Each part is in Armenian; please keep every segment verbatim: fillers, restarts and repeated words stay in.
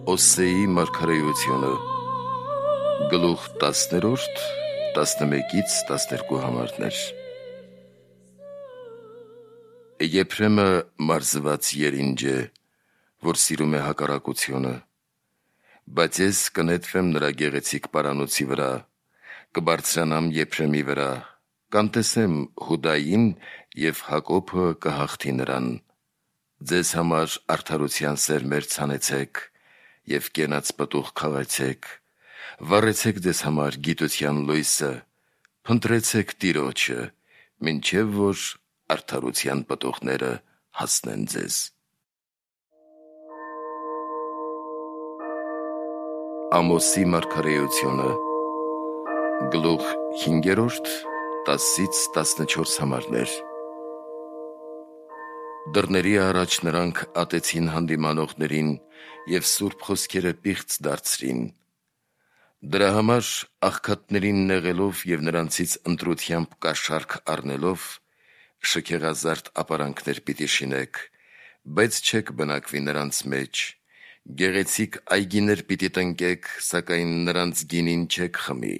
Օսեի մարգարեությունը գլուխ տասներորդ տասնմեկից տասներկու համարներ։ Եփրեմը մարզված երինջ է, որ սիրում է հակառակությունը, բայց ես կնետվեմ նրա գեղեցիկ պարանոցի վրա, կբարձրանամ Եփրեմի վրա, կանտեսեմ Հուդային և Հակոբը կհաղթի նրան։ Ձեզ համար արդարության սերմեր ցանեցեք և կենաց պտուղ քաղեցեք, վառեցեք ձեզ համար գիտության լույսը, փնտրեցեք Տիրոջը, մինչև որ արդարության պտուղները հասնեն ձեզ։ Ամոսի մարգարեությունը գլուխ հինգերորդ տասից տասնչորս համարներ։ Դռների առաջ նրանք ատեցին հանդիմանողներին և սուրբ խոսքերը պիղծ դարձրին։ Դրա համար աղքատներին նեղելով և նրանցից ընտրությամբ կաշառք առնելով, շքեղազարդ ապարանքներ պիտի շինեք, բայց չեք բնակվի նրանց մեջ, գեղեցիկ այգիներ պիտի տնկեք, սակայն նրանց գինին չեք խմի,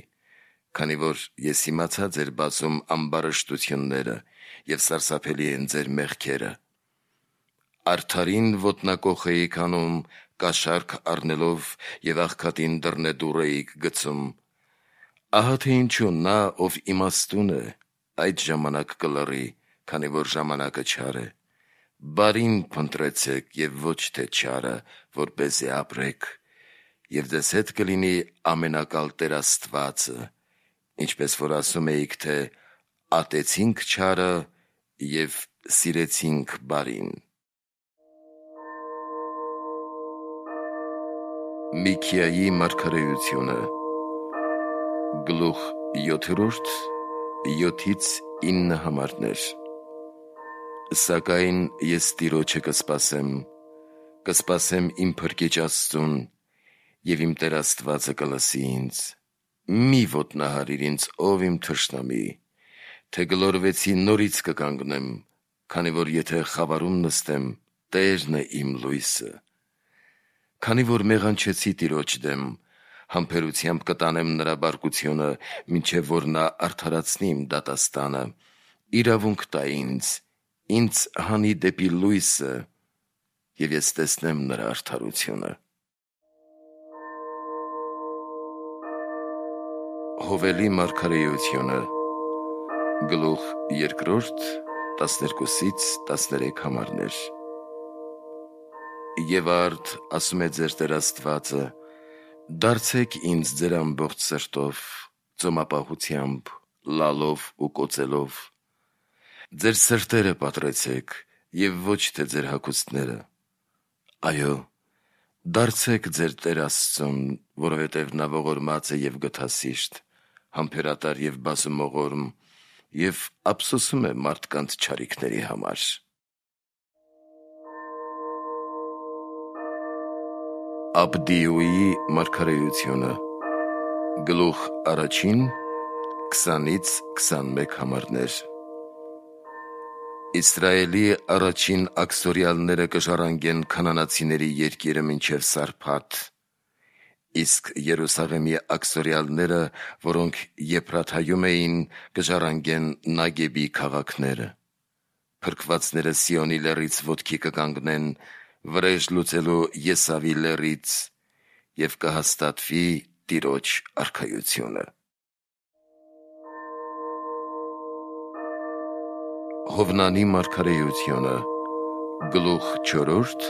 քանի որ ես իմացա ձեր բազում ամբարշտությունները և սարսափելի են ձեր մեղքերը։ Արդարին ոտնակոխ էիք անում, կաշառք առնելով և աղքատին դռնեդուռ էիք գցում։ Ահա թե ինչու նա, ով իմաստուն է, այդ ժամանակ կլռի, քանի որ ժամանակը չար է։ Բարին փնտրեցեք և ոչ թե չարը, որպեսզի ապրեք, և ձեզ հետ կլինի ամենակալ Տեր Աստվածը, ինչպես որ ասում էիք, թե ատեցինք չարը և սիրեցինք բարին։ Միքիայի մարգարեությունը գլուխ յոթերորդ յոթից ինը համարներ։ Սակայն ես Տիրոջը կսպասեմ, կսպասեմ իմ Փրկիչ Աստծուն, և իմ Տեր Աստվածը կլսի ինձ։ Մի ոտնահարիր ինձ, ով իմ թշնամի, թե գլորվեցի նորից կկանգնեմ, քանի որ եթե խավարում նստեմ, Տերն է իմ լույսը։ Քանի որ մեղանչեցի Տիրոջ դեմ, համբերությամբ կտանեմ նրա բարկությունը, մինչև որ նա արդարացնի իմ դատաստանը, իրավունք տա ինձ, ինձ հանի դեպի լույսը, և ես տեսնեմ նրա արդարությունը։ Հովելի մարգարեությունը գլուխ երկրորդ տասներկուսից տասներեք համարներ։ Եվ արդ ասում է ձեր Տեր Աստվածը. դարձեք ինձ ձեր ամբողջ սրտով, ծոմապահությամբ, լալով ու կոծելով։ Ձեր սրտերը պատրեցեք և ոչ թե ձեր հագուստները։ Այո, դարձեք ձեր Տեր Աստծուն, որովհետև նա ողորմած է և գթասիրտ, համբերատար և բազումողորմ, և ափսոսում է մարդկանց չարիքների համար։ Աբդիուի մարգարեությունը գլուխ առաջին քսանից քսանմեկ համարներ։ Իսրայելի առաջին աքսորյալները կժառանգեն քանանացիների երկիրը մինչև Սարփաթ, իսկ Երուսաղեմի աքսորյալները, որոնք Եփրաթայում էին, կժառանգեն Նագեբի քաղաքները։ Փրկվածները Սիոնի լեռից ոտքի կկանգնեն, վրեժ լուծելու Եսավի լեռից, և կհաստատվի Տիրոջ արքայությունը։ Հովնանի մարգարեությունը գլուխ չորրորդ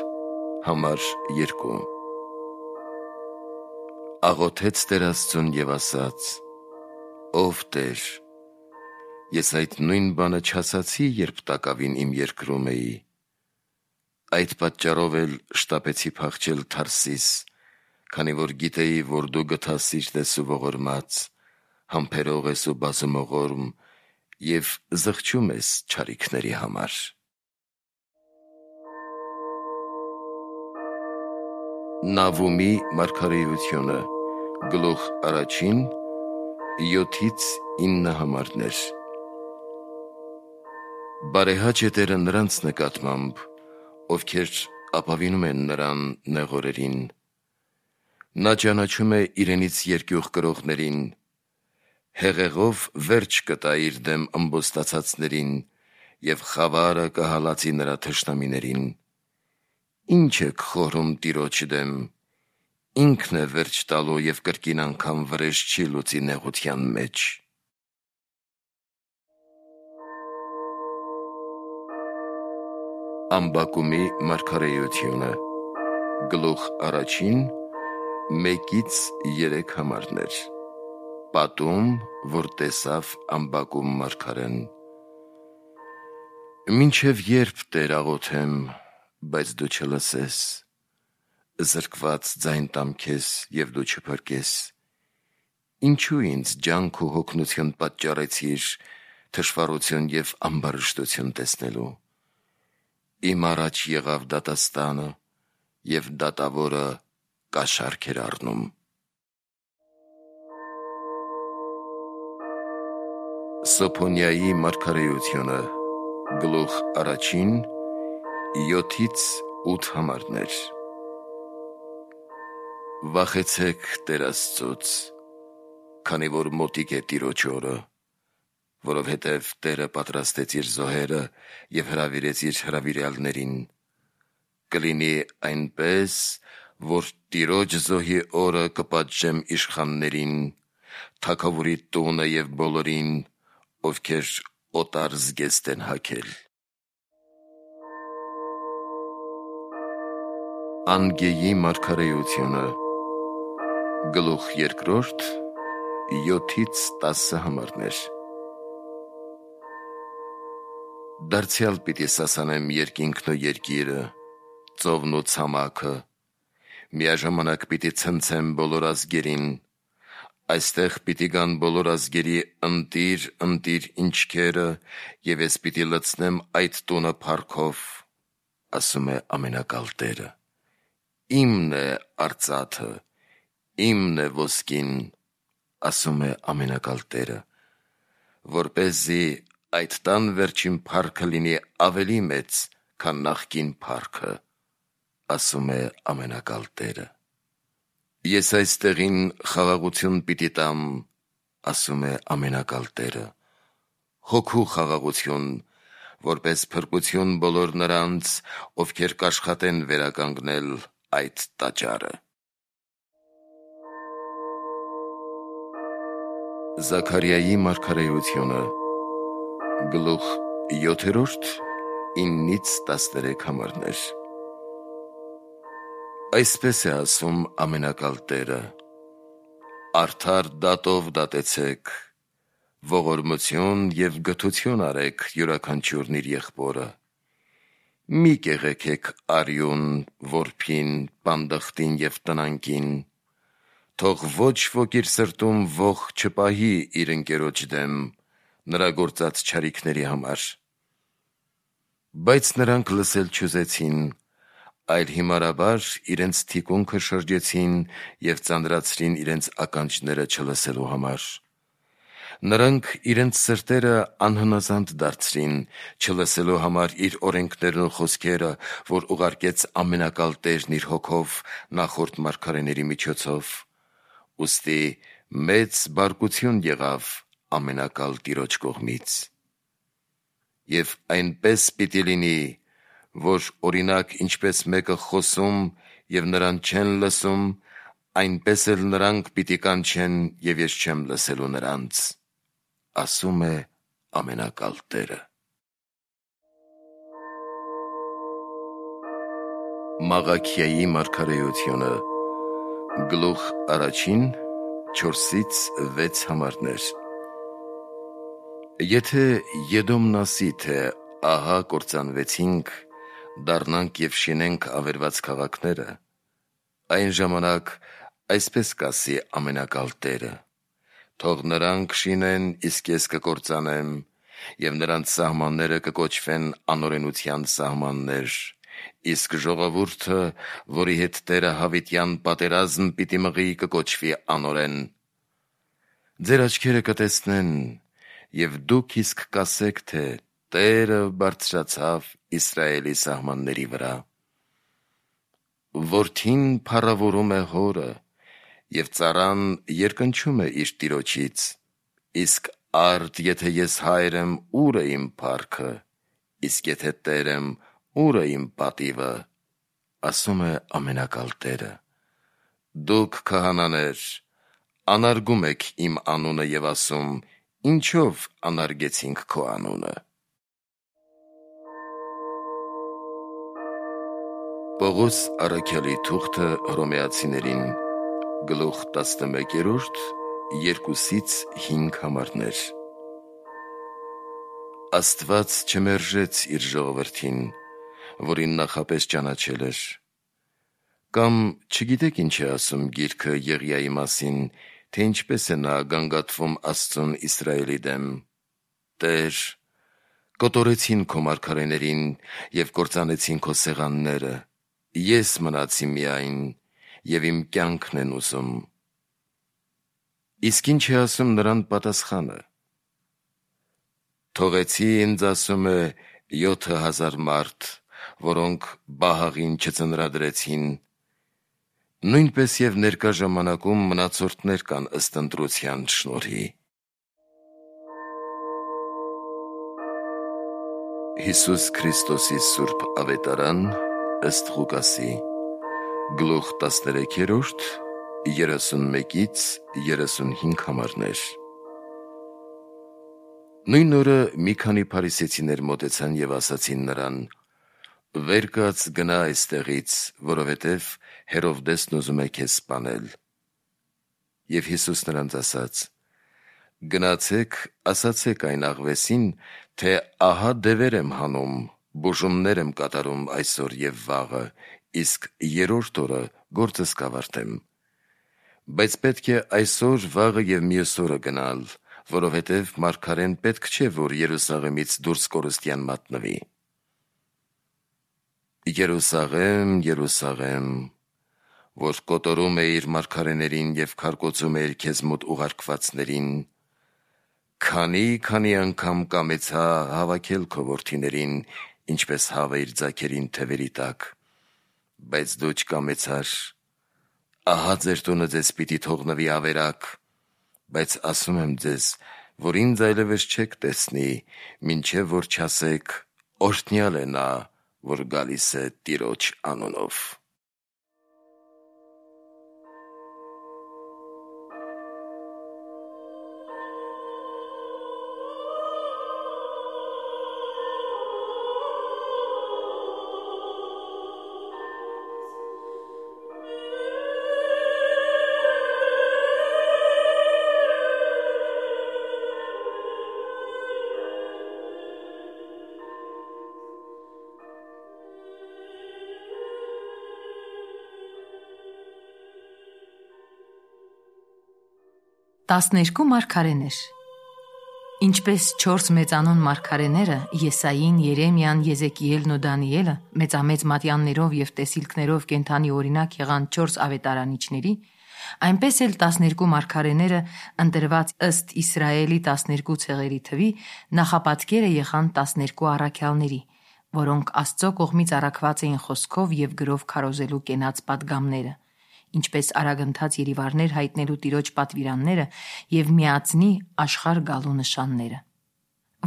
համար երկու։ Աղոթեց Տեր Աստծուն և ասաց. «Ով Տեր, ես այդ նույն բանը չասացի, երբ տակավին իմ երկրում էի։ Այդ պատճառով էլ շտապեցի փախչել Թարսիս, քանի որ գիտեի, որ դու գթասիրտ ես ու ողորմած, համբերող ես ու բազումողորմ և զղջում ես չարիքների համար»։ Նավումի մարգարեությունը գլուխ առաջին յոթից ինը համարներ։ Բարեհաճ է Տերը նրանց նկատմամբ, ովքեր ապավինում են նրան նեղ օրերին, Նա ճանաչում է իրենից երկյուղ կրողներին, հեղեղով վերջ կտա իր դեմ ըմբոստացածներին և խավարը կհալածի նրա թշնամիներին։ Ինչ եք խորհում Տիրոջ դեմ, ինքն է վերջ տալու և կրկին անգամ վրեժ չի լուծի նեղության մեջ։ Ամբակումի մարգարեությունը, գլուխ առաջին, մեկից երեք համարներ։ Պատում, որ տեսավ Ամբակում մարգարեն։ Մինչև երբ Տեր աղոթեմ, բայց դու չլսես, զրկված ձայն տամ քեզ և դու չփրկես։ Ինչու ինձ ջանք ու հոգնություն պատճառեցիր, թշվառություն և ամբարշտություն տեսնելու։ Իմ առաջ եղավ դատաստանը, և դատավորը կաշառք էր առնում։ Սոփոնյայի մարգարեությունը, գլուխ առաջին, յոթից ութ համարներ։ Վախեցեք Տեր Աստծուց, քանի որ մոտիկ է Տիրոջ օրը, որովհետև Տերը պատրաստեց իր զոհերը և հրավիրեց իր հրավիրյալներին։ Կլինի այնպես, որ Տիրոջ զոհի օրը կպատժեմ իշխաններին, թագավորի տունը և բոլորին, ովքեր օտար զգեստ են հագել։ Անգեի մարգարեությունը, գլուխ երկրորդ, յոթից տասը համարներ։ Դարձյալ պիտի սասանեմ երկինքն ու երկիրը, ծովն ու ցամաքը, միաժամանակ պիտի ցնցեմ բոլոր ազգերին, այստեղ պիտի գան բոլոր ազգերի ընտիր, ընտիր ինչքերը, և ես պիտի լցնեմ այդ տունը փառքով, ասում է ամենակալ Տերը։ Իմն է արծաթը, իմն է ոսկին, ասում է ամենակալ Տերը, որպեսզի այդ տան վերջին փառքը լինի ավելի մեծ, քան նախկին փառքը, ասում է ամենակալ Տերը։ Ես այս տեղին խաղաղություն պիտի տամ, ասում է ամենակալ Տերը, հոգու խաղաղություն, որպես փրկություն բոլոր նրանց, ովքեր կաշխատեն վերականգնել այդ տաճարը։ Զաքարիայի մարգարեությունը, գլուխ յոթերորդ, իննից տասներեք համարներ։ Այսպես է ասում ամենակալ Տերը. արդար դատով դատեցեք, ողորմություն և գթություն արեք յուրաքանչյուրն իր եղբորը։ Մի կեղեքեք արյուն, որբին, պանդխտին և տնանկին, թող ոչ ոք իր սրտում ոխ չպահի իր ընկերոջ դեմ, նրա գործած չարիքների համար։ Բայց նրանք լսել չուզեցին, այլ հիմարաբար իրենց թիկունքը շրջեցին և ծանրացրին իրենց ականջները չլսելու համար։ Նրանք իրենց սրտերը անհնազանդ դարձրին, չլսելու համար իր օրենքներն ու խոսքերը, որ ուղարկեց ամենակալ Տերն իր հոգով նախորդ մարգարեների միջոցով։ Ուստի մեծ բարկություն եղավ ամենակալ Տիրոջ կողմից։ Եվ այնպես պիտի լինի, որ օրինակ ինչպես մեկը խոսում և նրան չեն լսում, այնպես էլ նրանք պիտի կանչեն, և ես չեմ լսելու նրանց, ասում է ամենակալ Տերը։ Մաղաքիայի մարգարեությունը, գլուխ առաջին, չորսից վեց համարներ։ Եթե Եդոմն ասի, թե ահա կործանվեցինք, դառնանք և շինենք ավերված քաղաքները, այն ժամանակ այսպես կասի ամենակալ Տերը. թող նրանք շինեն, իսկ ես կկործանեմ, և նրանց սահմանները կկոչվեն անօրենության սահմաններ, իսկ ժողովուրդը, որի հետ Տերը հավիտյան պատերազմ պիտի մղի, կկոչվի անօրեն։ Ձեր աչքերը կտեսնեն, և դուք իսկ կասեք, թե Տերը բարձրացավ Իսրայելի սահմանների վրա։ Որդին փառավորում է հորը, Եվ ծառան երկնչում է իր տիրոջից. իսկ արդ եթե ես հայր եմ, ուր է իմ փառքը, իսկ եթե տեր եմ, ուր է իմ պատիվը, ասում է ամենակալ Տերը. դուք քահանաներ, անարգում եք իմ անունը և ասում, ինչով անարգեցինք քո անունը։ Պողոս առաքյալի թուղթը Հռոմեացիներին, գլուխ տասնմեկերորդ, երկուսից հինգ համարներ։ Աստված չմերժեց իր ժողովրդին, որին նախապես ճանաչել էր։ Կամ չգիտեք ինչ է ասում գիրքը Եղիայի մասին, թե ինչպես է նա գանգատվում Աստծուն Իսրայելի դեմ. Տեր, կոտորեցին քո մարգարեներին և կործանեցին քո սեղանները, ես մնացի միայն, և իմ կյանքն են ուզում։ Իսկ ինչ է ասում նրան պատասխանը. թողեցի ինձ, ասում է, յոթը հազար մարդ, որոնք Բահաղին չծնրադրեցին, նույնպես և ներկա ժամանակում մնացորդներ կան ըստ ընտրության շնորհի։ Հիսուս Քրիստոսի սուրբ ավետարան ըստ Ղուկասի, գլուխ տասներեքերորդ, երեսունմեկից երեսունհինգ համարներ։ Նույն օրը մի քանի փարիսեցիներ մոտեցան և ասացին նրան. «Վեր կաց, գնա այստեղից, որովհետև Հերովդեսն ուզում է քեզ սպանել»։ Եվ Հիսուս նրանց ասաց. «Գնացեք, ասացեք այն աղվեսին, թե ահա դևեր եմ հանում, բուժումներ եմ կատարում այսօր և վաղը, իսկ երրորդ օրը գործս կավարտեմ։ Բայց պետք է այսօր, վաղը և մյուս օրը գնալ, որովհետև մարգարեն պետք չէ, որ Երուսաղեմից դուրս կորստյան մատնվի։ Երուսաղեմ, Երուսաղեմ, որ կոտորում էիր մարգարեներին և քարկոծում էիր քեզ մոտ ուղարկվածներին, քանի, քանի անգամ կամեցա հավաքել քո որդիներին, ինչպես հավը իր ձագերին թևերի տակ, բայց դու չկամեցար։ Ահա ձեր տունը ձեզ պիտի թողնվի ավերակ, բայց ասում եմ ձեզ, որ ինձ այլևս չեք տեսնի, մինչև որ չասեք. օրհնյալ է նա, որ գալիս է Տիրոջ անունով»։ Տասներկու մարգարեներ։ Ինչպես չորս մեծանուն մարգարեները Եսային, Երեմիան, Եզեկիելն ու Դանիելը մեծամեծ մատյաններով և տեսիլքներով կենդանի օրինակ եղան չորս ավետարանիչների, այնպես էլ տասներկու մարգարեները ընտրված ըստ Իսրայելի տասներկու ցեղերի թվի նախապատկերը եղան տասներկու առաքյալների, որոնք Աստծո կողմից առաքված էին խոսքով և գրով քարոզելու կենաց պատգամները, ինչպես արագընթաց երիվարներ հայտնելու Տիրոջ պատվիրանները և միածնի աշխարհ գալու նշանները։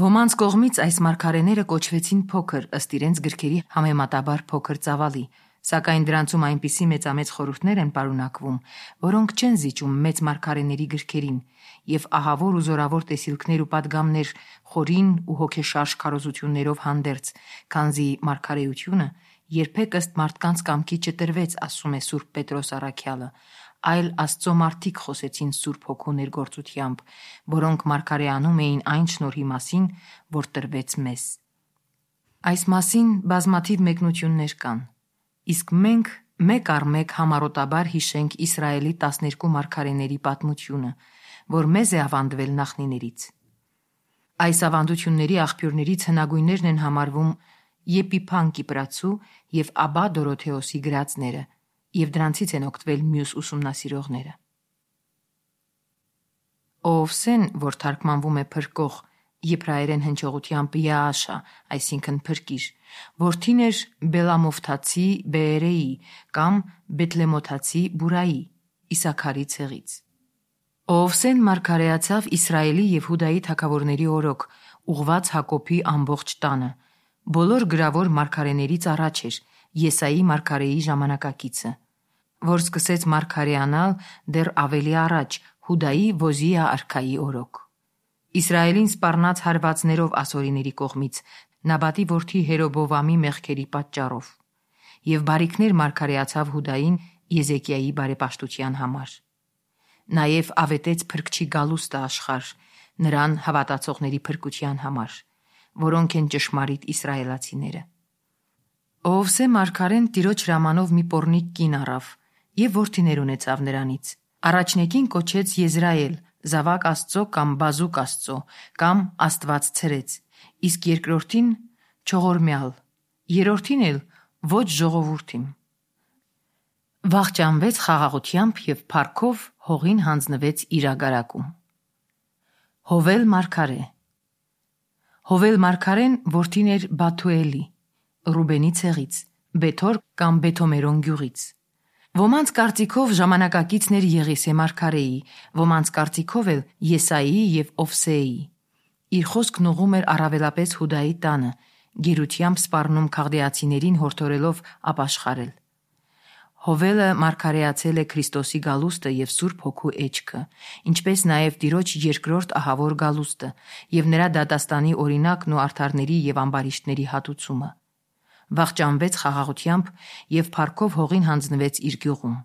Ոմանց կողմից այս մարգարեները կոչվեցին փոքր ըստ իրենց գրքերի համեմատաբար փոքր ծավալի, սակայն դրանցում այնպիսի մեծամեծ խորհուրդներ են պարունակվում, որոնք չեն զիջում մեծ մարգարեների գրքերին, և ահավոր ու զորավոր տեսիլքներ ու պատգամներ խորին ու հոգեշարժ քարոզություններով հանդերձ, քանզի մարգարեությունը երբեք ըստ մարդկանց կամքի չտրվեց, ասում է Սուրբ Պետրոս առաքյալը, այլ Աստծո մարդիկ խոսեցին Սուրբ Հոգու ներգործությամբ, որոնք մարգարեանում էին այն շնորհի մասին, որ տրվեց մեզ։ Այս մասին բազմաթիվ մեկնություններ կան, իսկ մենք մեկ առ մեկ համառոտաբար հիշենք Իսրայելի տասներկու մարգարեների պատմությունը, որ մեզ է ավանդվել նախնիներից։ Այս ավանդությունների աղբյուրներից հնագույններն են համարվում Եփիփան Կիպրացու և Աբա Դորոթեոսի գրածները, և դրանցից են օգտվել մյուս ուսումնասիրողները։ Օովսեն, որ թարգմանվում է փրկող, եբրայերեն հնչողությամբ Յաաշա, այսինքն փրկիր, որդին էր Բելամովթացի Բեերեի կամ Բեթլեմոթացի Բուրայի, Իսաքարի ցեղից։ Օվսեն մարգարեացավ Իսրայելի եւ Հուդայի թագավորների օրոք, ուղված Հակոբի ամբողջ տանը։ Բոլոր գրավոր մարգարեներից առաջ էր, Եսայի մարգարեի ժամանակակիցը, որ սկսեց մարգարեանալ դեռ ավելի առաջ, Հուդայի Ոզիա արքայի օրոք։ Իսրայելին սպառնաց հարվածներով ասորիների կողմից, Նաբատի որդի Հերոբովամի մեղքերի պատճառով, եւ բարիքներ մարգարեացավ Հուդային Եզեկիայի բարեպաշտության համար։ Նաև ավետեց փրկչի գալուստը աշխարհ, նրան հավատացողների փրկության համար, որոնք են ճշմարիտ իսրայելացիները։ Օվսե մարգարեն տիրոջ հրամանով մի պոռնիկ կին առավ եւ որդիներ ունեցավ նրանից։ Առաջնեկին կոչեց Եզրայել, զավակ Աստծո կամ բազուկ Աստծո, կամ Աստված ցրեց, իսկ երկրորդին Չողորմյալ, երրորդին էլ ոչ ժողովուրդիմ։ Վախճանվեց խաղաղությամբ եւ փառքով հողին հանձնվեց իրագարակում։ Հովել մարգարե Հովել մարգարեն որդին էր Բաթուելի, Ռուբենի ցեղից, Բեթոր կամ Բեթոմերոն գյուղից։ Ոմանց կարծիքով ժամանակակիցն էր Եղիսե մարգարեի, ոմանց կարծիքով էլ Եսայի եւ Օվսեի։ Իր խոսքն ուղում էր առավելապես Հուդայի տանը, գերությամբ սպառնում քաղդեացիներին հորդորելով ապաշխարել։ Հովելը մարգարեացել է Քրիստոսի գալուստը եւ Սուրբ Հոգու էջքը, ինչպես նաև Տիրոջ երկրորդ ահավոր գալուստը եւ նրա դատաստանի օրինակն ու արդարների եւ ամբարիշտների հատուցումը։ Վախճանվեց խաղաղությամբ եւ փառքով հողին հանձնվեց իր գյուղում։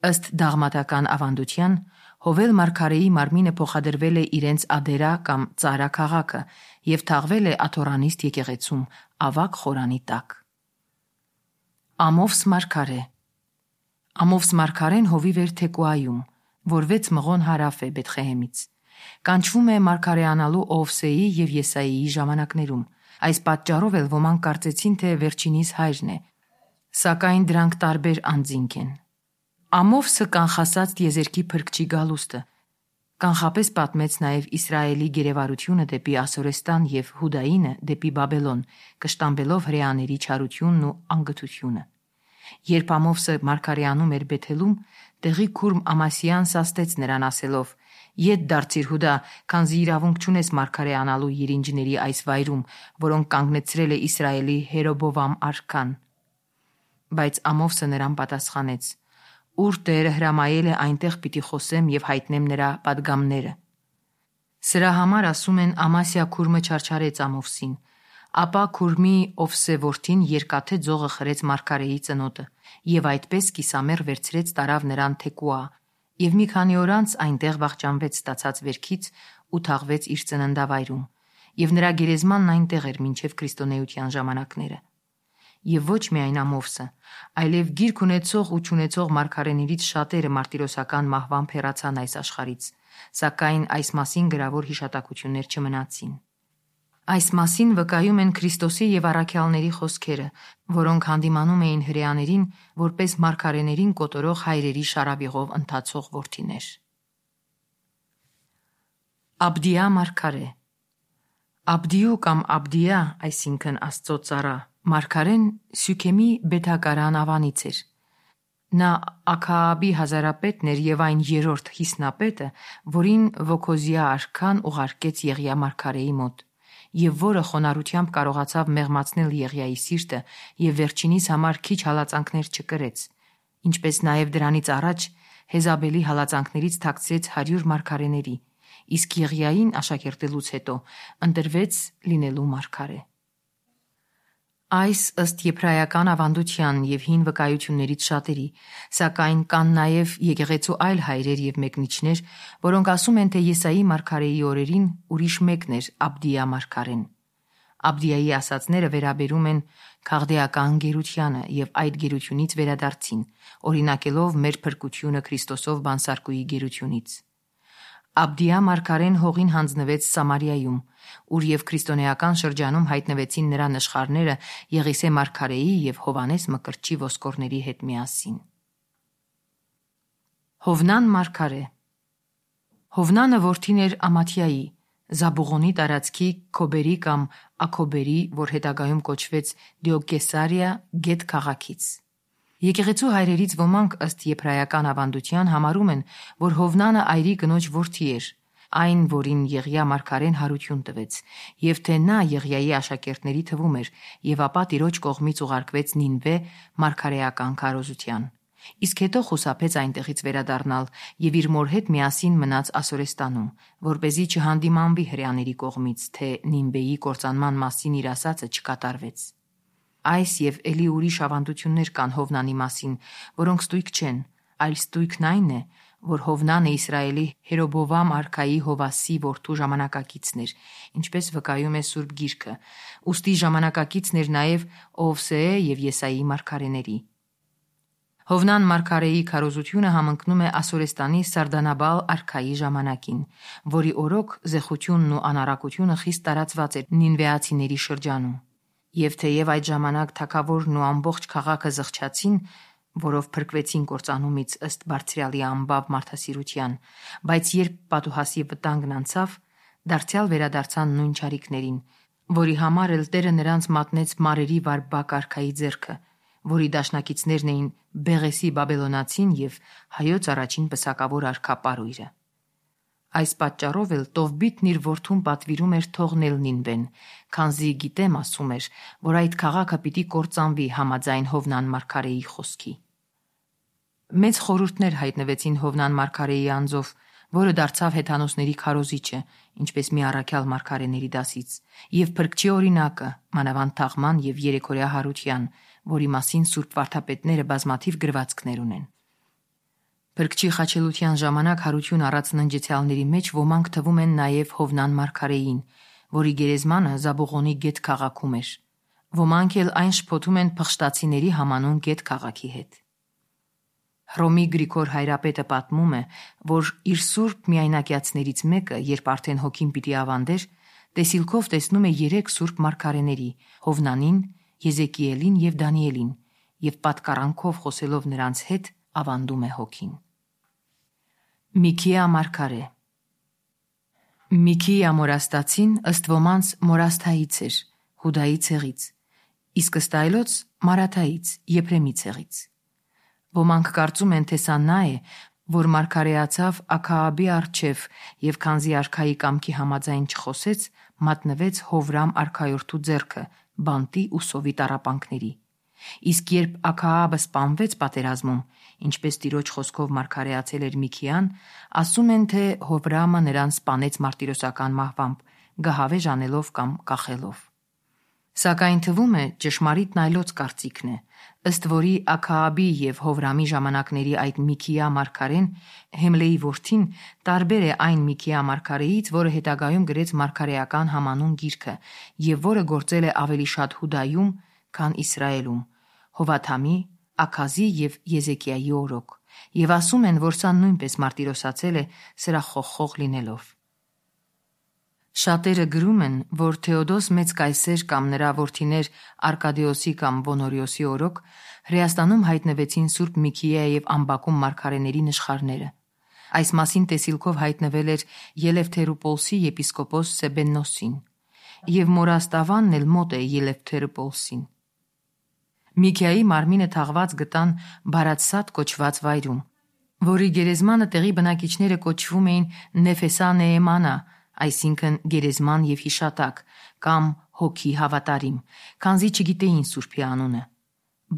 Ըստ դաղմատական ավանդության, Հովել մարգարեի մարմինը փոխադրվել է իրենց Ադերա կամ Ծարա քաղաքը եւ թաղվել է Աթորանիստ եկեղեցում, ավակ խորանի տակ։ Ամովս մարգարե Ամովս մարգարեն հովիվ էր Թեկուայում, որ վեց մղոն հարավ է Բեթխեհեմից։ Կանչվում է մարգարեանալու Օվսեի եւ Եսայիի ժամանակներում։ Այս պատճառով էլ ոմանք կարծեցին, թե վերջինիս հայրն է, սակայն դրանք տարբեր անձինք են։ Ամովսը կանխասած տիեզերքի փրկչի գալուստը, կանխապես պատմեց նաև Իսրայելի գերեվարությունը դեպի Ասորեստան եւ Հուդայինը դեպի Բաբելոն, կշտամբելով հրեաների չարությունն ու անգթությունը։ Երբ Ամովսը մարգարեանում էր Բեթելում, տեղի քուրմ Ամասիան սաստեց նրան ասելով. «Ետ դարձիր Հուդա, քանզի իրավունք չունես մարգարեանալու երինջների այս վայրում, որոնք կանգնեցրել է Իսրայելի Հերոբովամ արքան»։ Բայց Ամովսը նրան պատասխանեց. «Ուր Տերը հրամայել է, այնտեղ պիտի խոսեմ եւ հայտնեմ նրա պատգամները»։ Սրա համար ասում են Ամասիա քուրմը չարչարեց Ամովսին, ապա քուրմի Օվսե որդին երկաթե ձողը խրեց մարգարեի ծնոտը եւ այդպես կիսամեռ վերցրեց տարավ նրան Թեկուա եւ մի քանի օր անց այնտեղ վախճանվեց ստացած վերքից ու թաղվեց իր ծննդավայրում եւ նրա գերեզմանն այնտեղ էր մինչեւ քրիստոնեության ժամանակները։ Եվ ոչ միայն Ամովսը, այլև գիրք ունեցող ու չունեցող մարգարեներից շատերը մարտիրոսական մահվամբ հեռացան այս աշխարհից, սակայն այս մասին գրավոր հիշատակություններ չմնացին։ Այս մասին վկայում են Քրիստոսի եւ առաքյալների խոսքերը, որոնք հանդիմանում էին հրեաներին որպես մարգարեներին կոտորող հայրերի շարավիղով ընթացող որդիներ։ Աբդիա մարգարե Աբդիու կամ Աբդիա, այսինքն Աստծո ծառա, մարգարեն Սյուքեմի Բեթակարան ավանից էր։ Նա Աքաաբի հազարապետն էր եւ այն երրորդ հիսնապետը, որին Վոքոզիա արքան ուղարկեց Եղիա մարգարեի մոտ, եւ որը խոնարհությամբ կարողացավ մեղմացնել Եղիայի սիրտը եւ վերջինիս համար քիչ հալածանքներ չկրեց, ինչպես նաեւ դրանից առաջ Հեզաբելի հալածանքներից թաքցրեց հարյուր մարգարեների, իսկ Եղիային աշակերտելուց հետո ընտրվեց լինելու մարգարե։ Այս ըստ եբրայական ավանդության եւ հին վկայություններից շատերի, սակայն կան նաեւ եկեղեցու այլ հայրեր եւ մեկնիչներ, որոնք ասում են, թե Եսայի մարգարեի օրերին ուրիշ մեկն էր Աբդիա մարգարեն։ Աբդիայի ասացները վերաբերում են քաղդեական գերությանը եւ այդ գերությունից վերադարձին, օրինակելով մեր փրկությունը Քրիստոսով բանսարկուի գերությունից։ Աբդիա մարգարեն հողին հանձնվեց Սամարիայում, ուր եւ քրիստոնեական շրջանում հայտնվեցին նրա նշխարները Եղիսե մարգարեի եւ Հովանես Մկրտչի ոսկորների հետ միասին։ Հովնան մարգարե Հովնանը որդին էր Ամաթիայի, Զաբուղոնի տարածքի Քոբերի կամ Աքոբերի, որ հետագայում կոչվեց Դիոգեսարիա գետ քաղաքից։ Եկեղեցու հայրերից ոմանք ըստ եբրայական ավանդության համարում են, որ Հովնանը այրի կնոջ որդի էր, այն, որին Եղիա մարգարեն հարություն տվեց, եւ թե նա Եղիայի աշակերտների թվում էր, եւ ապա Տիրոջ կողմից ուղարկվեց Նինվե մարգարեական քարոզության։ Իսկ հետո խուսափեց այնտեղից վերադառնալ եւ իր մոր հետ միասին մնաց Ասորեստանում, որպեսզի չհանդիմանվի հրեաների կողմից, թե Նինվեի կործանման մասին իր ասածը չկատարվեց։ Այս եւ ելի ուրիշ ավանդություններ կան Հովնանի մասին, որոնք ստույգ չեն, այլ ստույգն այն է, որ Հովնանը Իսրայելի Հերոբովամ արքայի Հովասի որդու ժամանակակիցն էր, ինչպես վկայում է Սուրբ Գիրքը, ուստի ժամանակակիցն էր նաև Օվսեե եւ Եսայի մարգարեների։ Հովնան մարգարեի քարոզությունը համընկնում է Ասորեստանի Սարդանաբալ արքայի ժամանակին, որի օրոք զեխությունն ու անառակությունը խիստ տարածված էր նինվեացիների շրջանում։ Եվ թեև այդ ժամանակ թագավորն ու ամբողջ քաղաքը զղջացին, որով փրկվեցին կործանումից ըստ Բարձրյալի անբավ մարդասիրության, բայց երբ Պատուհասի վտանգն անցավ, դարձյալ վերադարձան նույն չարիքներին, որի համար էլ Տերը նրանց մատնեց մարերի վարպակ արքայի ձեռքը, որի դաշնակիցներն էին Բեղեսի Բաբելոնացին եւ հայոց առաջին պսակավոր արքա Պարույրը։ Այս պատճառով էլ Տովբիտն իր որդուն պատվիրում էր թողնել Նինվեն, քանզի գիտեմ ասում էր, որ այդ քաղաքը պիտի կործանվի համաձայն Հովնան մարգարեի խոսքի։ Մեծ խորհուրդներ հայտնվեցին Հովնան մարգարեի անձով, որը դարձավ հեթանոսների քարոզիչը, ինչպես մի առաքյալ մարգարեների դասից, եւ փրկչի օրինակը, մանավանդ թաղման եւ երեքօրյա հարության, որի մասին սուրբ վարդապետները բազմաթիվ գրվածքներ ունեն։ Փրկչի խաչելության ժամանակ հարություն առած ննջեցյալների մեջ ոմանք թվում են նաև Հովնան մարգարեին, որի գերեզմանը Զաբուղոնի գետ քաղաքում էր։ Ոմանք էլ այն շփոթում են փխշտացիների համանուն գետ քաղաքի հետ։ Հռոմի Գրիգոր հայրապետը պատմում է, որ իր սուրբ միայնակյացներից մեկը, երբ արդեն հոգին պիտի ավանդեր, տեսիլքով տեսնում է երեք սուրբ մարգարեների՝ Հովնանին, Եզեկիելին եւ Դանիելին, եւ պատկառանքով խոսելով նրանց հետ ավանդում է հոգին։ Միքիա մարգարե Միքիա Մորաստացին ըստ ոմանց Մորասթայից էր, Հուդայի ցեղից, իսկ ըստ այլոց Մարաթայից, Եփրեմի ցեղից։ Ոմանք կարծում են, թե սա նա է, որ մարգարեացավ Աքաաբի առջև եւ քանզի արքայի կամքի համաձայն չխոսեց, մատնվեց Հովրամ արքայորդու ձեռքը, բանտի ու սովի տառապանքների։ Իսկ երբ Աքաաբը սպանվեց պատերազմում, ինչպես Տիրոջ խոսքով մարգարեացել էր Միքիան, ասում են, թե Հովրամը նրան սպանեց մարտիրոսական մահվամբ, գահավեժ անելով կամ կախելով։ Սակայն թվում է ճշմարիտն այլոց կարծիքն է, ըստ որի Աքաաբի եւ Հովրամի ժամանակների այդ Միքիա մարգարեն, Հեմլեի որդին, տարբեր է այն Միքիա մարգարեից, որը հետագայում գրեց մարգարեական համանուն գիրքը եւ որը գործել է ավելի շատ Հուդայում, քան Իսրայելում, Հովաթամի, Աքազի եւ Եզեկիայի օրոք, եւ ասում են, որ սա նույնպես մարտիրոսացել է սրախոխող լինելով։ Շատերը գրում են, որ Թեոդոս մեծ կայսեր կամ նրա որդիներ Արկադիոսի կամ Բոնորիոսի օրոք Հրեաստանում հայտնվեցին Սուրբ Միքիա եւ Ամբակում մարգարեների նշխարները։ Այս մասին տեսիլքով հայտնվել էր Ելևթերուպոլսի եպիսկոպոս Սեբեննոսին, եւ Մորաստավանն էլ մոտ է Ելևթերուպոլսին։ Միքիայի մարմինը թաղված գտան Բարաթսատ կոչված վայրում, որի գերեզմանը տեղի բնակիչները կոչվում էին Նեֆեսա Նեեմանա, այսինքն գերեզման եւ հիշատակ, կամ հոգի հավատարիմ, քանզի չգիտեին Սուրբի անունը,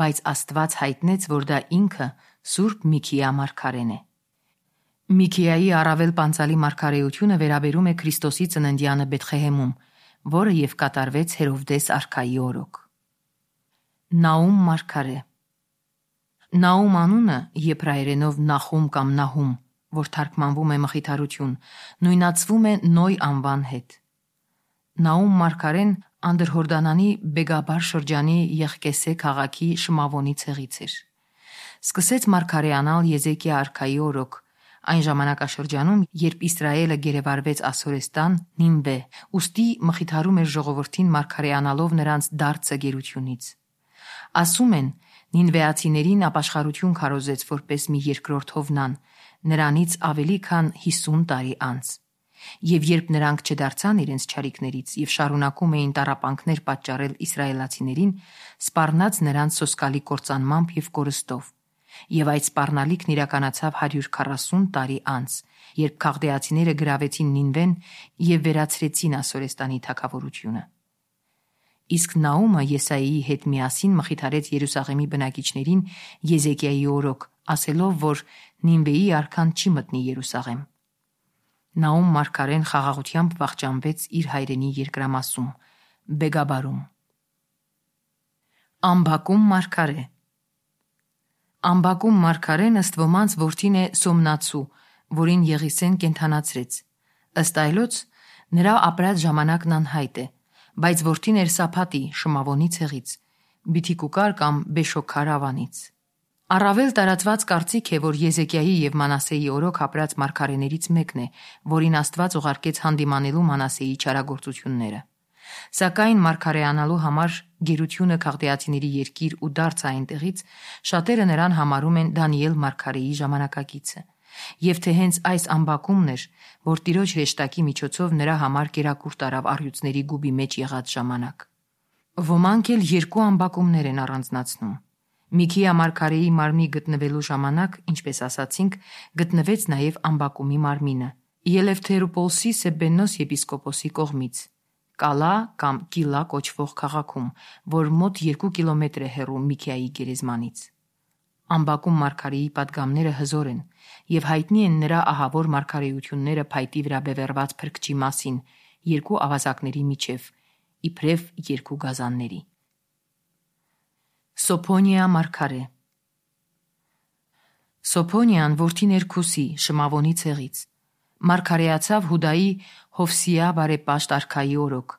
բայց Աստված հայտնեց, որ դա ինքը Սուրբ Միքիա մարգարեն է։ Միքիայի առավել պանծալի մարգարեությունը վերաբերում է Քրիստոսի ծննդյանը Բեթխեհեմում, որը եւ կատարվեց Հերովդես արքայի օրոք։ Նաում մարգարե Նաում անունը եբրայերենով Նախում կամ Նահում, որ թարգմանվում է մխիթարություն, նույնացվում է Նոյ անվան հետ։ Նաում մարգարեն Անդրհորդանանի Բեգաբար շրջանի Եղկեսե քաղաքի Շմավոնի ցեղից էր։ Սկսեց մարգարեանալ Եզեկիա արքայի օրոք, այն ժամանակաշրջանում, երբ Իսրայելը գերեվարվեց Ասորեստան, Նինվե, ուստի մխիթարում էր ժողովրդին մարգարեանալով նրանց դարձը գերությունից։ Ասում են, նինվեացիներին ապաշխարություն քարոզեց որպես մի երկրորդ Հովնան, նրանից ավելի քան հիսուն տարի անց։ Եվ երբ նրանք չդարձան իրենց չարիքներից եւ շարունակում էին տառապանքներ պատճառել իսրայելացիներին, սպառնաց նրանց սոսկալի կործանմամբ եւ կորստով։ Եվ այդ սպառնալիքն իրականացավ հարյուր քառասուն տարի անց, երբ քաղդեացիները գրավեցին Նինվեն եւ վերացրեցին Ասորեստանի թագավորությունը։ Իսկ Նաումը Եսայիի հետ միասին մխիթարեց Երուսաղեմի բնակիչներին Եզեկիայի օրոք, ասելով, որ Նինվեի արքան չի մտնի Երուսաղեմ։ Նաում մարգարեն խաղաղությամբ վախճանվեց իր հայրենի երկրամասում, Բեգաբարում։ Ամբակում մարգարե Ամբակում մարգարեն ըստ ոմանց որդին է Սոմնացու, որին Եղիսեն կենդանացրեց։ Ըստ այլոց նրա ապրած ժամանակն անհայտ է, բայց որդին էր Սափատի Շմավոնի ցեղից, Բիթիկուկար կամ Բեշոքար ավանից։ Առավել տարածված կարծիք է, որ Եզեկիայի եւ Մանասեի օրոք ապրած մարգարեներից մեկն է, որին Աստված ուղարկեց հանդիմանելու Մանասեի չարագործությունները։ Սակայն մարգարեանալու համար գերությունը քաղդեացիների երկիր ու դարձ այնտեղից շատերը նրան համարում են Դանիել մարգարեի ժամանակակիցը, եւ թե հենց այս ամբակումն էր, որ Տիրոջ հրեշտակի միջոցով նրա համար կերակուր տարավ առյուծների գուբի մեջ եղած ժամանակ։ Ոմանք էլ երկու ամբակումներ են առանձնացնում։ Միքիա մարգարեի մարմնի գտնվելու ժամանակ, ինչպես ասացինք, գտնվեց նաև ամբակումի մարմինը Ելևթերուպոլսի Սեբբենոս եպիսկոպոսի կողմից Կալա կամ Կիլա կոչվող քաղաքում, որ մոտ երկու կիլոմետր է հեռու Միքիայի գերեզմանից։ Ամբակում մարգարեի պատգամները հզոր են եւ հայտնի են նրա ահավոր մարգարեությունները փայտի վրա բևեռված փրկչի մասին երկու ավազակների միջև, իբրև երկու գազանների։ Սոփոնիա մարգարե Սոփոնիան որդին էր Քուսի Շմավոնի ցեղից։ Մարգարեացավ Հուդայի Հովսիա բարեպաշտ արքայի օրոք,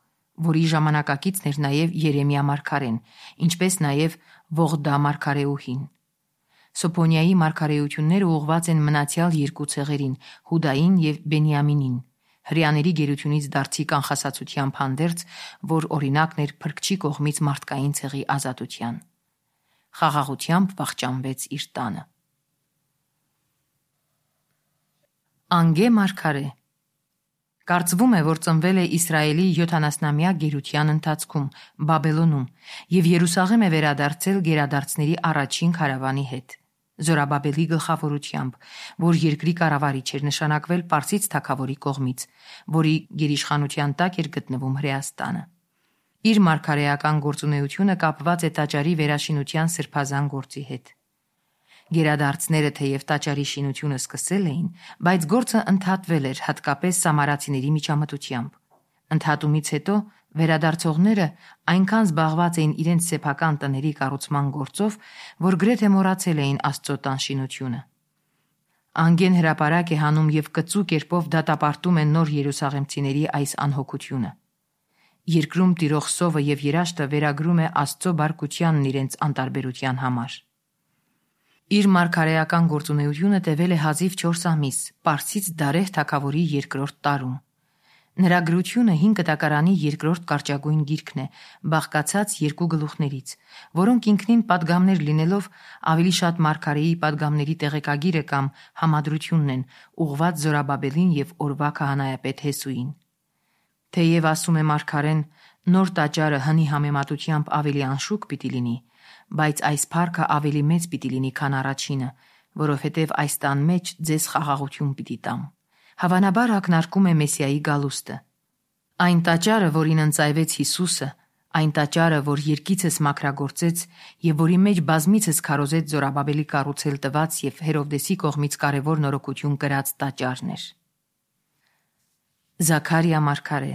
որի ժամանակակիցն էր նաև Երեմիա մարգարեն, ինչպես նաև Ողդա մարգարեուհին։ Սոփոնիայի մարգարեությունները ուղղված են մնացյալ երկու ցեղերին՝ Հուդային եւ Բենիամինին, հրեաների գերությունից դարձի կանխասացությամբ հանդերձ, որ օրինակն էր փրկչի կողմից մարդկային ցեղի ազատության։ Խաղաղությամբ վախճանվեց իր տանը։ Անգե մարգարե Կարծվում է, որ ծնվել է Իսրայելի յոթանասնամյա գերության ընթացքում Բաբելոնում եւ Երուսաղեմ է վերադարձել գերադարձների առաջին քարավանի հետ Զորաբաբելի գլխավորությամբ, որ երկրի կառավարիչ էր նշանակվել Պարսից թագավորի կողմից, որի գերիշխանության տակ էր գտնվում Հրեաստանը։ Իր մարգարեական գործունեությունը կապված է տաճարի վերաշինության սրբազան գործի հետ։ Գերադարձները թեև տաճարի շինությունը սկսել էին, բայց գործը ընդհատվել էր հատկապես սամարացիների միջամտությամբ։ Ընդհատումից հետո վերադարձողները այնքան զբաղված էին իրենց սեփական տների կառուցման գործով, որ գրեթե մոռացել էին Աստծո տան շինությունը։ Անգեն հրապարակ է հանում եւ կծու կերպով դատապարտում են նոր երուսաղեմցիների այս անհոգությունը։ Երկրում տիրող սովը եւ երաշտը վերագրում է Աստծո բարկությանն իրենց անտարբերության համար։ Իր մարգարեական գործունեությունը տևել է հազիվ չորս ամիս, Պարսից Դարեհ թագավորի երկրորդ տարում։ Նրա գրությունը հին կտակարանի երկրորդ կարճագույն գիրքն է, բաղկացած երկու գլուխներից, որոնք ինքնին պատգամներ լինելով ավելի շատ մարգարեի պատգամների տեղեկագիրը կամ համադրությունն են, ուղղված Զորաբաբելին եւ օրվա քահանայապետ Հեսուին։ Թեև ասում է մարգարեն, նոր տաճարը հնի համեմատությամբ ավելի անշուք պիտի լինի, բայց այս փառքը ավելի մեծ պիտի լինի, քան առաջինը, որովհետև այս տան մեջ ձեզ խաղաղություն պիտի տամ։ Հավանաբար ակնարկում է Մեսիայի գալուստը։ Այն տաճարը, որին ընծայվեց Հիսուսը, այն տաճարը, որ երկիցս մաքրագործեց եւ որի մեջ բազմիցս քարոզեց Զորաբաբելի կառուցել տված եւ Հերովդեսի կողմից կարևոր նորոգություն կրած տաճարն էր։ Զաքարիա մարգարե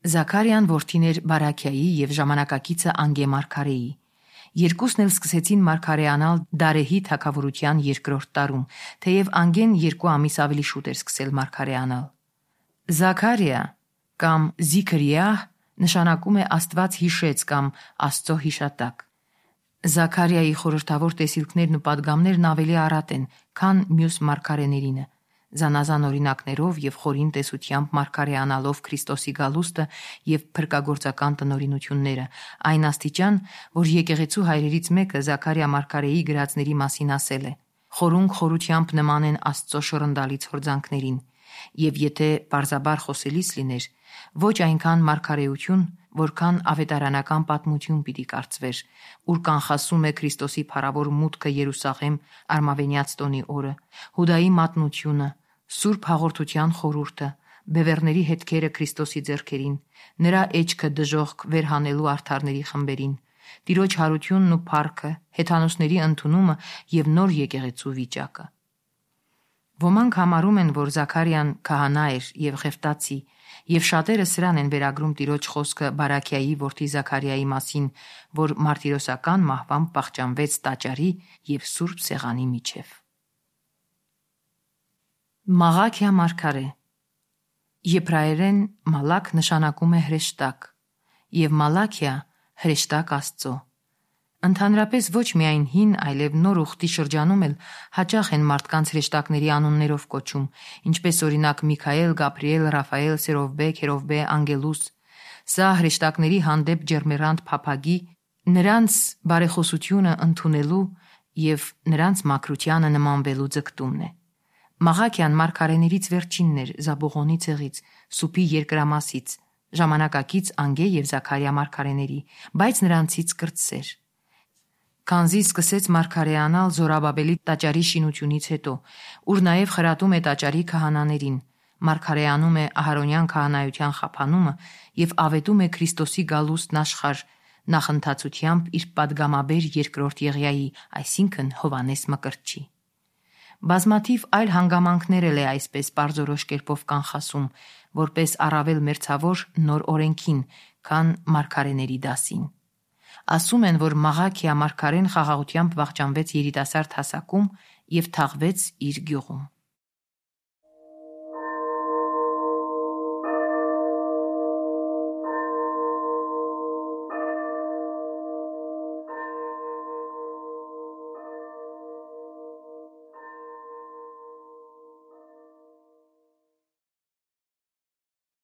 Զաքարիան որդին էր Բարաքիայի եւ ժամանակակիցը Անգե մարգարեի։ Երկուսն էլ սկսեցին մարգարեանալ Դարեհի թագավորության երկրորդ տարում, թեև Անգեն երկու ամիս ավելի շուտ էր սկսել մարգարեանալ։ Զաքարիա կամ Զիքրիահ նշանակում է Աստված հիշեց կամ Աստծո հիշատակ։ Զաքարիայի խորհրդավոր տեսիլքներն ու պատգամներն ավելի առատ են, քան մյուս մարգարեներինը, զանազան օրինակներով եւ խորին տեսությամբ մարգարեանալով Քրիստոսի գալուստը եւ փրկագործական տնօրինությունները, այն աստիճան, որ եկեղեցու հայրերից մեկը Զաքարիա մարգարեի գրածների մասին ասել է. «Խորունկ խորությամբ նման են Աստծո շռնդալից հորձանքներին, եւ եթե բարձաբար խոսելիս լիներ, ոչ այնքան մարգարեություն, որքան ավետարանական պատմություն պիտի կարծվեր, ուր կանխասում է Քրիստոսի փառավոր մուտքը Երուսաղեմ արմավենյաց տոնի օրը, Հուդայի մատնությունը, Սուրբ հաղորդության խորհուրդը, բևեռների հետքերը Քրիստոսի ձեռքերին, նրա էջքը դժոխք վերհանելու արդարների խմբերին, Տիրոջ հարությունն ու փառքը, հեթանոսների ընդունումը եւ նոր եկեղեցու վիճակը։ Ոմանք համարում են, որ Զաքարիան քահանա էր եւ Ղևտացի, եւ շատերը սրան են վերագրում Տիրոջ խոսքը Բարաքիայի որդի Զաքարիայի մասին, որ մարտիրոսական մահվամբ պահճանվեց տաճարի եւ Սուրբ Սեղանի միջև։ Մաղաքիա մարգարե։ Եբրայերեն մալակ նշանակում է հրեշտակ, եւ մալաքիա հրեշտակ Աստծո։ Ընդհանրապես ոչ միայն հին, այլև նոր ուխտի շրջանում էլ հաճախ են մարդկանց հրեշտակների անուններով կոչում, ինչպես օրինակ Միքայել, Գաբրիել, Ռաֆայել, Սերովբե, Քերովբե, Անգելուս։ Սա հրեշտակների հանդեպ ջերմեռանդ փափագի, նրանց բարեխոսությունը ընդունելու եւ նրանց մաքրությանը նմանվելու ձգտումն է։ Մաղաքիան մարգարեներից վերջինն էր Զաբուղոնի ցեղից, Սուփի երկրամասից, ժամանակակից Անգե եւ Զաքարիա մարգարեների, բայց նրանցից կրտսեր։ Քանզի սկսեց մարգարեանալ Զորաբաբելի տաճարի շինությունից հետո, ուր նաև խրատում է տաճարի քահանաներին, մարգարեանում է Ահարոնյան քահանայության խափանումը եւ ավետում է Քրիստոսի գալուստն աշխարհ նախընթացությամբ իր падգամաբեր երկրորդ Եղիայի, այսինքն Հովանես Մկրտչի։ Բազմաթիվ այլ հանգամանքներ էլ է այսպես պարզորոշ կերպով կանխասում, որպես առավել մերձավոր նոր օրենքին, քան մարգարեների դասին։ Ասում են, որ Մաղաքիա մարգարեն խաղաղությամբ վախճանվեց երիտասարդ հասակում եւ թաղվեց իր գյուղում։